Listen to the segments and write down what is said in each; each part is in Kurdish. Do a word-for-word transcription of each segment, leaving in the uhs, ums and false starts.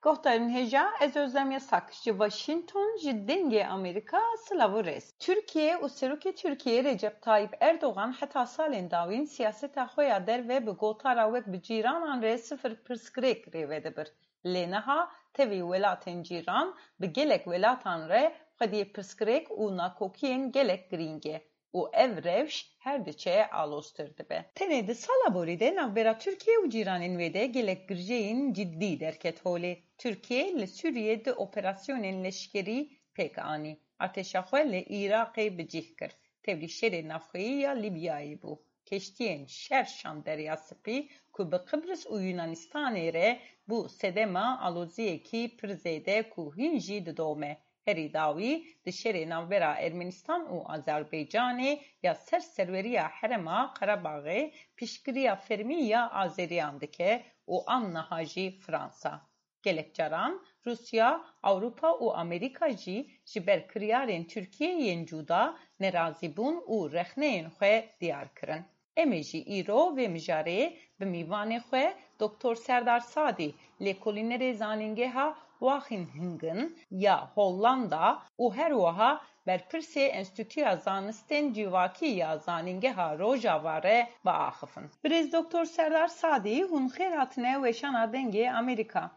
Guhdarên hêja, ez Özlem Yasak ji Washington, ji Dengê Amerîka, silav û rêz. Tirkiye û Serokê Tirkiyê Recep Tayyip Erdogan heta salên dawîn siyaseta xwe ya derve bi gotara wek bi cîranan re sifir pirsgirêk rêve dibir. Lê niha tevî welatên cîran bi gelek welatan re xwediyê pirsgirêk û nakokiyên gelek girîng e û ev rewş her diçe aloztir dibe. Tenê di sala borî de navbera Tirkiye û cîranên wê de gelek girjeyên ciddî derket holê. Tirkiye li Sûriyê du operasyonên leşkerî pêk anî. Artêşa xwe li Iraqê bi cih kir. Tevlî şerê navxweyî ya Lîbyayê bû. Keştiyên şer şand Derya Spî ku bi Qibris û Yunanistanê re bû sedema aloziyekî pir zêde ku hîn jî didome. Herî dawî di şerê navbera Ermenistan û Azerbaycanê ya ser serweriya Herêma Qerebaxê piştgiriya fermî ya Azeriyan dike û an niha jî Fransa. Gelek caran Rûsya, Ewropa û Amerîka jî ji ber kiryarên Tirkiyê yên cuda nerazîbûn û rexneyên xwe diyar kirin. Em ê jî îro vê mijarê bi mîvanê xwe Doktor Serdar Sadî, lêkolînerê Zanîngeha Wageningen ya Hollanda û her wiha berpirsê Enstîtuya Zanistên Civakî ya Zanîngeha Rojava re biaxifin. Birêz Doktor Serdar Sadî, hûn xêr hatine weşana Dengê Amerîka.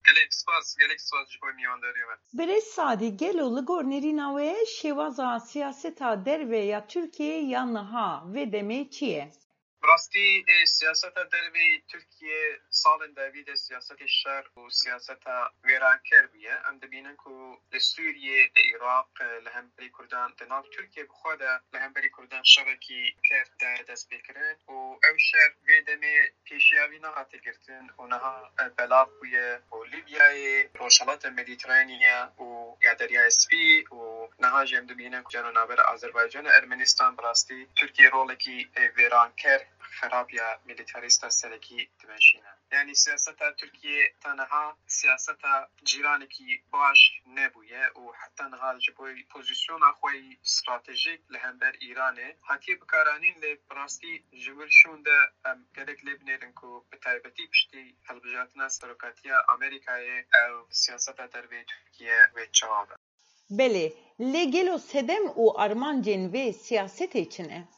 Gelek spas, gelek spas ji bo mîwandariya we. Birêz Sadî, gelo li gor nêrîna we şêwaza siyaseta derve ya Tirkiyê ya niha vê demê çi ye? Bi rastî, ê, siyaseta derve yê Tirkiye salên dawî de siyasetê şer û siyaseta wêranker bûye. Em dibînin ku li Sûriyê, li Iraq, li hemberî Kurdan, di nav Tirkiye bi xwe de li hemberî Kurdan şerekî ker daye destpêkirin û ew şer vê demê pêşiya wî nehate girtin û niha, e, belav bûye û Lîbyayê, Rojhilata Medîteranî û ya Deryaya Spî û niha jî em dibînin ku cem navbera Azerbaycan û Ermenistan bi rastî Tirkiye rolekî, e, wêranker, xerab ya milîtarîsta serekî dimeşîne. Yanî siyaseta Tirkiye ta niha siyaseta cîranekî baş nebûye û heta niha ji bo pozisyona xwe yî stratejîk li hember Îranê hatiye bikaranîn, lê bi rastî ji wir şûn de em gelek lê binêrin ku bi taybetî piştî hilbijartina serokatiya Amerîkayê ev siyaseta derveyî Tirkiye wê çawa be. Belê, lê gelo sedem û armancên vê siyasetê çi ne?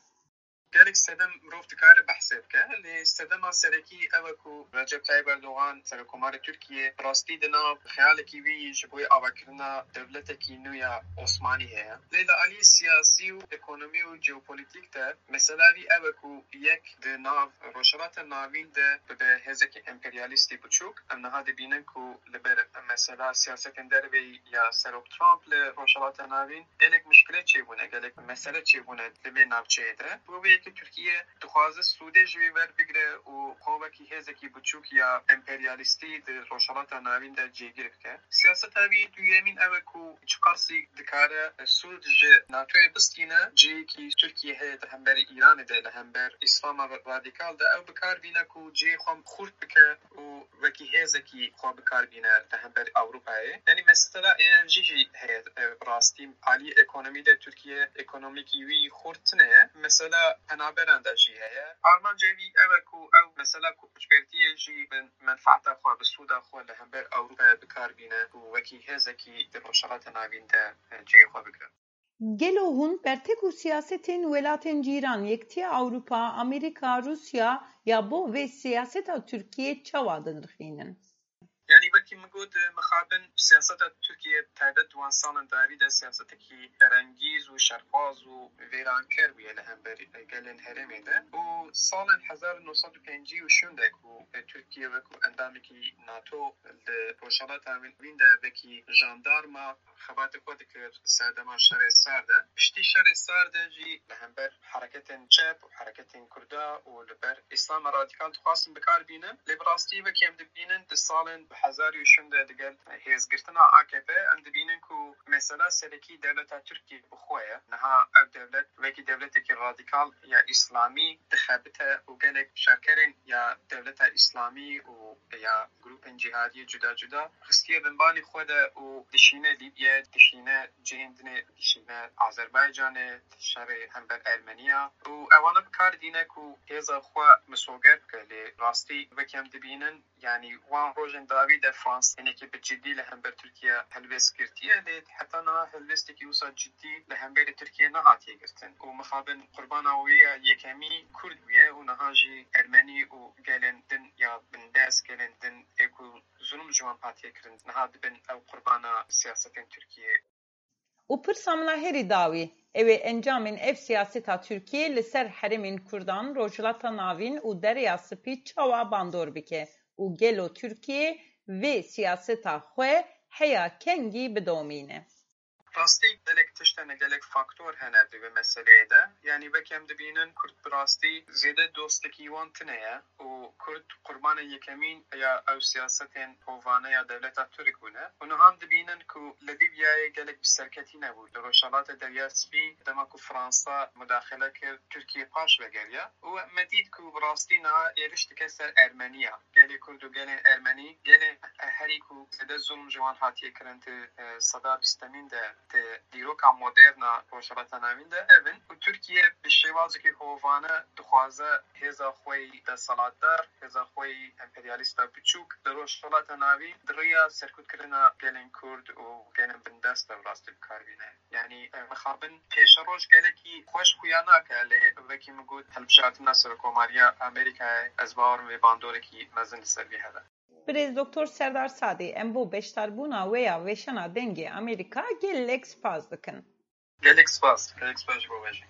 Gelek sedem mirov dikare behsê bike, lê sedema serekî ew e ku Recep Tayyip Erdogan, Serokkomarê Tirkiye, bi rastî di nav xeyalekî wî ji bo avakirina dewletekî nû ya Osmanî heye. Lê li alî siyasî û ekonomî û jeopolîtîk de mesela wî ew e ku yek di nav Rojhilata Navîn de bibe hêzekî emperyalîstî biçûk. Em niha dibînin ku li ber mesela siyasetên derveyî ya Serok Trump li Rojhilata Navîn gelek mişkile çêbûne, gelek mesele çêbûne li vê navçeyê de. Bi vê yekê Tirkiye dixwaze sûdê ji wê werbigire û xwe wekî hêzekî biçûk ya emperyalîstî di Rojhilata Navîn de cêgir bike. Siyaseta wî duyemîn ew e ku çiqasî dikare sûd ji NATOyê bistîne, cihekî Tirkiye heye di hemberî Îranê de, li hember Îslama radîkal de ew bi kar bîne ku cihê xwe xurt bike û wekî hêzekî xwe bi kar bîne li hember Ewropayê. Yanî mesela enerjî jî heye, e, bi rastî alî ekonomî de Tirkiye ekonomîkî wî xurt tune ye. Mesela penaberan de jî heye. Armanca wî ew e ku ew mesela koçbertiyê jî bi menfaeta xwe, bi sûda xwe li hember Ewropayê bi kar bîne û wekî hêzekî di Rojhilata Navîn de, e, cihê xwe bigire. Gelo hûn bertek û siyasetên welatên cîran, Yekitiya Ewropa, Amerîka, Rûsya ya bo vê siyaseta Tirkiyê çawa dinirxînin? Yanî wekî min got, mixabin siyaseta Tirkiye taybet di wan salên dawî de siyasetekî ferengîz û şerxwaz û vêranker bûye li hember gelên herêmê de û salên hezar û neh sed û pêncî û şûn de ku Tirkiye wekî endamekî NATO li Rojhilata Navîn de wekî jandarma xebatê xwe dikir serdema şerê sar de. Piştî şerê sar de jî li hember hereketên çep û hereketên Kurda û li ber Îslama radîkal dixwastin bi kar bînin. Lê bi rastî wekî em dibînin di salên hezar û şûn de digel hêzgirtina A K P em dibînin ku mesela serekî dewleta Tirkiyê bi xwe ye. Niha ev dewlet wekî dewletekî radîkal ya Îslamî dixebite û gelek şerkerên ya dewleta Îslamî û ya grûpên cîhadiyê cuda cuda xistiye binbanî xwe de û dişîne Lîbye, dişîne cihên dinê, dişîne Azerbaycanê, şerê hember Ermeniya û ewana bi kar dîne ku hêza xwe misoger bike. Lê rastî wekî em dibînin Yanî wan rojên dawî de Fransa hinekî bi cidî li hember Tirkiye helwêst girtiye, lê heta niha helwêstekî wisa cidî li hemberî Tirkiye nehatiye girtin. Û mixabin qurbana wê ya yekemî Kurd bûye û niha jî Ermenî û gelên din ya bindest, gelên din ê ku zulm ji wan hatiye kirin, niha dibin ew qurbana siyasetên Tirkiyê. Û pirsa min a herî dawî, ew ê encamên ev siyaseta Tirkiyê li ser herêmên Kurdan, Rojhilata Navîn û Derya Spî çawa bandor bike û gelo Tirkiye vê siyaseta xwe heya kengî bidomîne? Rastî gelek tişt hene, gelek faktor hene di vê meseleyê de. Yanî weke em dibînin Kurd bi rastî zêde dostekî wan tune ye û Kurd qurbanê yekemîn ya ew siyasetên hovane ya dewleta Tirk bûne. Û niha em dibînin ku li Lîbyayê gelek bi serketî nebû. Li Rojhelatê Derya Spî dema ku Fransa mudaxele kir, Tirkiye paş vegeriya. Û me dît ku bi rastî niha êriş dike ser Ermeniya. Gelê Kurd û gelên Ermenî, gelên herî ku zêde zulm ji wan hatiye kirin di, e, seda bîstemîn de, di dîroka modern a Rojhilata Navîn de ev in. Û Tirkiye bi şêwazekî hovane dixwaze hêza xwe yî desthilatdar, hêza xwe yî emperyalîsta biçûk di Rojhilata Navîn di riya serkutkirina gelên Kurd û gelên bindest de bi rastî bi kar bîne. Yanî, e, mixabin pêşeroj gelekî xweş xuya nake, lê wekî min got, hilbijartina Serokomariya Amerîkayê, ez bawer im vê bandorekî mezin li ser vî hebe. Birêz Doktor Serdar Sadî, em bo beşdarbûna we ya weşana Dengê Amerîka gelek spas dikin. Gelek spas, gelek spas ji bo we jî.